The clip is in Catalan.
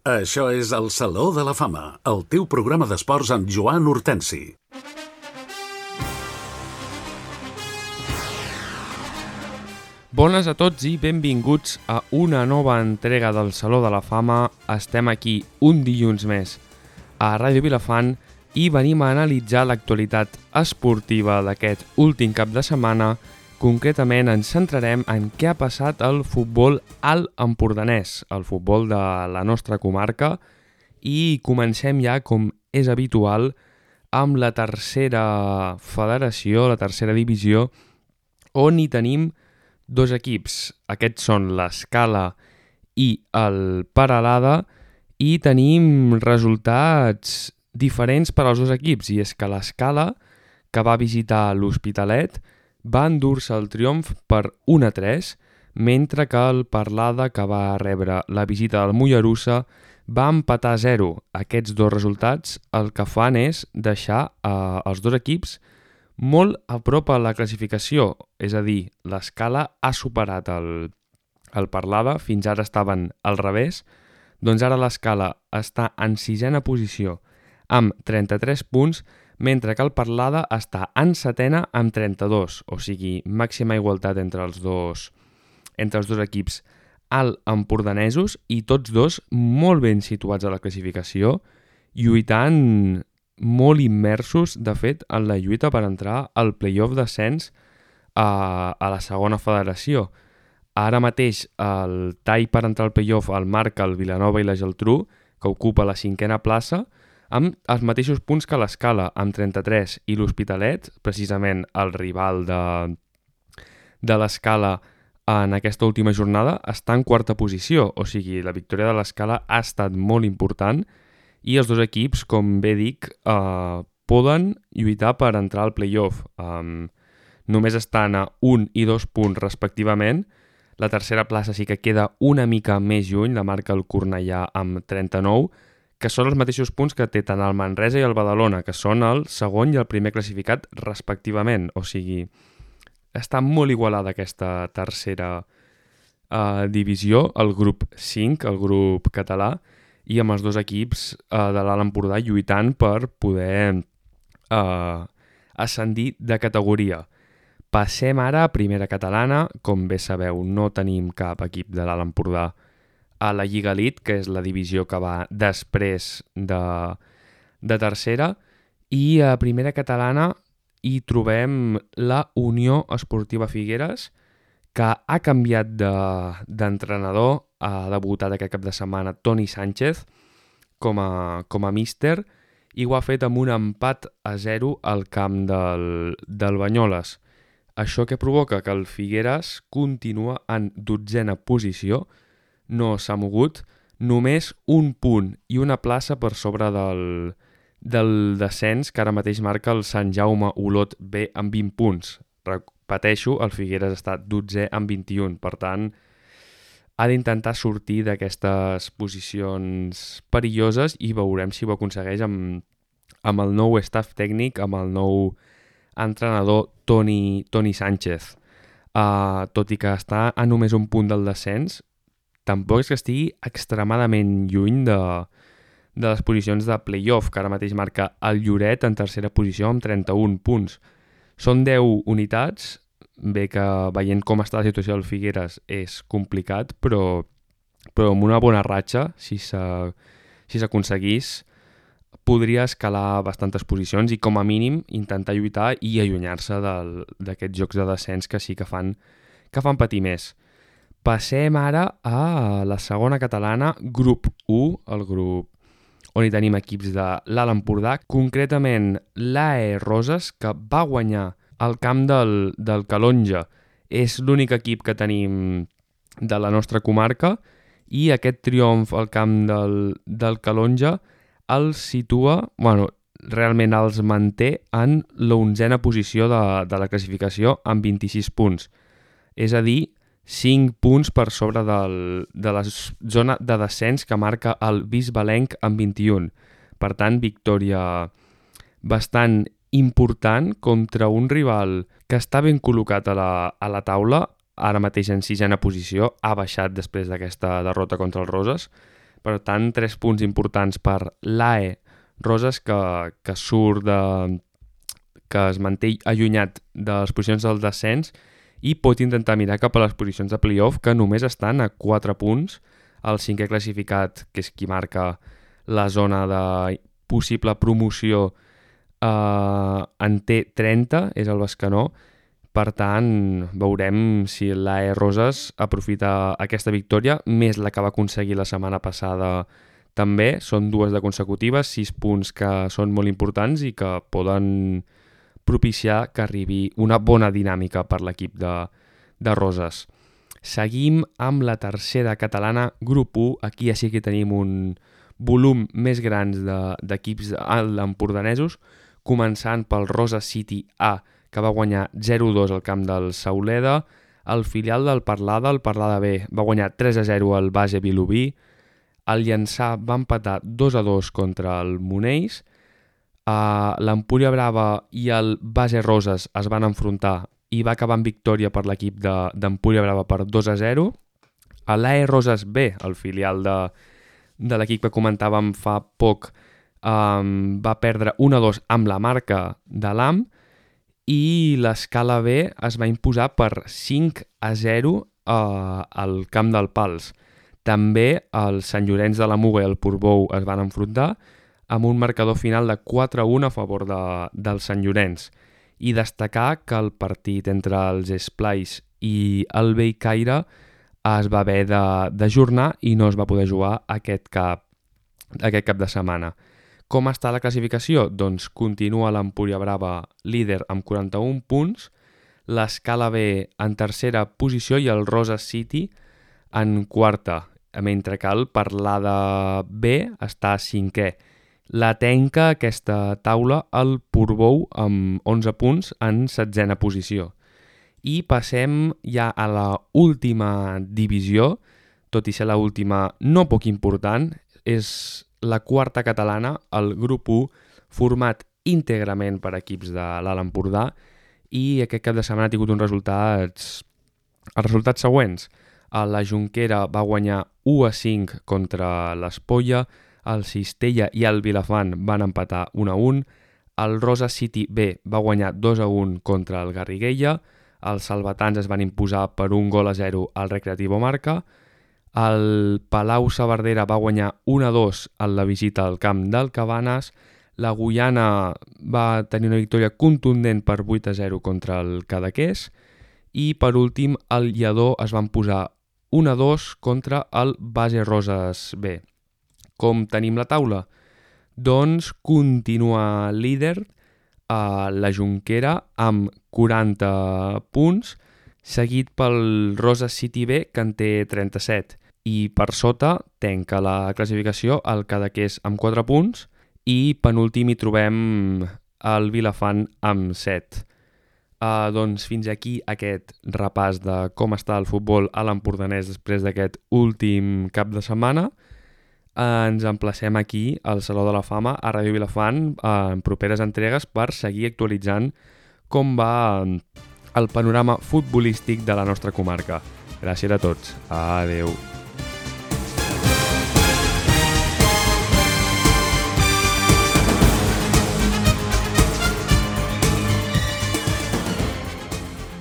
Això és el Saló de la Fama, el teu programa d'esports amb Joan Hortensi. Bones a tots i benvinguts a una nova entrega del Saló de la Fama. Estem aquí un dilluns més a Ràdio Vilafant i venim a analitzar l'actualitat esportiva d'aquest últim cap de setmana. Concretament ens centrarem en què ha passat al futbol alt empordanès, el futbol de la nostra comarca, i comencem ja, com és habitual, amb la tercera federació, la tercera divisió, on hi tenim dos equips. Aquests són l'Escala i el Peralada, i tenim resultats diferents per als dos equips, i és que l'Escala, que va visitar l'Hospitalet, va endur-se el triomf per 1-3, mentre que el Peralada, que va rebre la visita del Mollerussa, va empatar 0. Aquests dos resultats el que fan és deixar els dos equips molt a prop a la classificació, és a dir, l'Escala ha superat el Peralada, fins ara estaven al revés, doncs ara l'Escala està en 6a posició amb 33 punts, mentre que el Peralada està en 7a amb 32, o sigui, màxima igualtat entre els dos equips alt empordanesos i tots dos molt ben situats a la classificació, lluitant molt immersos, de fet, en la lluita per entrar al play-off d'ascens a la segona federació. Ara mateix el tall per entrar al play-off el marca el Vilanova i la Geltrú, que ocupa la 5a plaça, amb els mateixos punts que l'Escala, amb 33, i l'Hospitalet, precisament el rival de l'Escala en aquesta última jornada, està en 4a posició, o sigui, la victòria de l'Escala ha estat molt important i els dos equips, com bé dic, poden lluitar per entrar al play-off. Només estan a 1 i 2 punts respectivament. La tercera plaça sí que queda una mica més lluny, la marca el Cornellà amb 39, que són els mateixos punts que té tant el Manresa i el Badalona, que són el segon i el primer classificat respectivament. O sigui, està molt igualada aquesta tercera divisió, el grup 5, el grup català, i amb els dos equips de l'Alt Empordà lluitant per poder ascendir de categoria. Passem ara a primera catalana. Com bé sabeu, no tenim cap equip de l'Alt Empordà a la Lliga Elite, que és la divisió que va després de tercera, i a primera catalana hi trobem la Unió Esportiva Figueres, que ha canviat d'entrenador, ha debutat aquest cap de setmana Toni Sánchez com a míster, i ho ha fet amb un empat a 0 al camp del Banyoles. Això que provoca que el Figueres continua en 12a posició, no s'ha mogut, només un punt i una plaça per sobre del descens, que ara mateix marca el Sant Jaume Olot B amb 20 punts. Repeteixo, el Figueres està 12è amb 21, per tant, ha d'intentar sortir d'aquestes posicions perilloses i veurem si ho aconsegueix amb el nou staff tècnic, amb el nou entrenador Toni Sánchez. Tot i que està a només un punt del descens, tampoc és que estigui extremadament lluny de les posicions de play-off, que ara mateix marca el Lloret en tercera posició amb 31 punts. Són 10 unitats, bé que veient com està la situació del Figueres és complicat, però amb una bona ratxa, si s'aconseguís, podria escalar bastantes posicions i com a mínim intentar lluitar i allunyar-se d'aquests jocs de descens que sí que fan patir més. Passem ara a la segona catalana, grup 1, el grup on hi tenim equips de l'Alt Empordà, concretament l'AE Roses, que va guanyar al camp del Calonja. És l'únic equip que tenim de la nostra comarca, i aquest triomf al camp del Calonja els situa, realment els manté en la 11a posició de la classificació amb 26 punts. És a dir, 5 punts per sobre de la zona de descens que marca el Bisbalenc amb 21. Per tant, victòria bastant important contra un rival que està ben col·locat a la taula, ara mateix en 6a posició, ha baixat després d'aquesta derrota contra el Roses, Per tant, 3 punts importants per l'AE Roses, que surt que es manté allunyat de les posicions del descens i pot intentar mirar cap a les posicions de playoff, que només estan a 4 punts. El 5è classificat, que és qui marca la zona de possible promoció, en té 30, és el Bescanó. Per tant, veurem si l'AE Roses aprofita aquesta victòria, més la que va aconseguir la setmana passada també. Són 2 de consecutives, 6 punts que són molt importants i que poden propiciar que arribi una bona dinàmica per l'equip de Roses. Seguim amb la tercera catalana, grup 1. Aquí ja sí que tenim un volum més grans d'equips empordanesos, començant pel Roses City A, que va guanyar 0-2 al camp del Sauleda. El filial del Parlada, el Parlada B, va guanyar 3-0 al Base Vilobí. El Llançà va empatar 2-2 contra el Monells. L'Empúria Brava i el Base Roses es van enfrontar i va acabar amb victòria per l'equip d'Empúria Brava per 2-0. L'AE Roses B, el filial de l'equip que comentàvem fa poc, va perdre 1-2 amb la Marca de l'AM, i l'Escala B es va imposar per 5-0 al camp del Pals. També el Sant Llorenç de la Muga i el Portbou es van enfrontar amb un marcador final de 4-1 a favor del Sant Llorenç. I destacar que el partit entre els Esplais i el Bellcaire es va haver d'ajornar i no es va poder jugar aquest cap de setmana. Com està la classificació? Doncs continua l'Empúria Brava líder amb 41 punts, l'Escala B en tercera posició i el Roses City en quarta, mentre que el Parlada B està a 5è. La tenca aquesta taula el Portbou amb 11 punts en 7a posició. I passem ja a la última divisió, tot i ser la última no poc important, és la quarta catalana, el grup 1, format íntegrament per equips de l'Alt Empordà, i aquest cap de setmana ha tingut els resultats següents. La Jonquera va guanyar 1-5 contra l'Espolla, el Cistella i el Vilafant van empatar 1-1, el Roses City B va guanyar 2-1 contra el Garriguella, els salvatans es van imposar per 1-0 al Recreativo Marca, el Palau Saverdera va guanyar 1-2 en la visita al camp del Cabanes, la Guyana va tenir una victòria contundent per 8-0 contra el Cadaqués, i per últim el Lledó es van posar 1-2 contra el Base Roses B. Com tenim la taula? Doncs continua líder la Jonquera amb 40 punts, seguit pel Roses City B, que en té 37. I per sota tanca la classificació el Cadaqués amb 4 punts i penúltim hi trobem el Vilafant amb 7. Doncs fins aquí aquest repàs de com està el futbol a l'empordanès després d'aquest últim cap de setmana. Ens emplacem aquí al Saló de la Fama a Ràdio Vilafant en properes entregues per seguir actualitzant com va el panorama futbolístic de la nostra comarca. Gràcies a tots. Adeu.